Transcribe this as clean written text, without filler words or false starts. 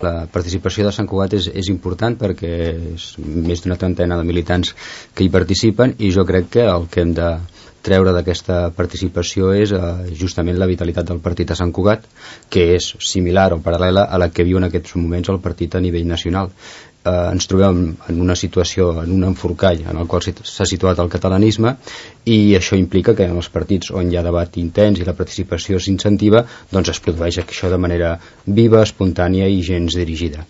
La participació de Sant Cugat és important perquè és més d'una trentena de militants que hi participen, i jo crec que el que hem de treure d'aquesta participació és justament la vitalitat del partit a Sant Cugat, que és similar o paral·lela a la que viu en aquests moments el partit a nivell nacional. Ens trobem en una situació, en un enforcall en el qual s'ha situat el catalanisme, i això implica que en els partits on hi ha debat intens i la participació s'incentiva, doncs es produeix això de manera viva, espontània i gens dirigida.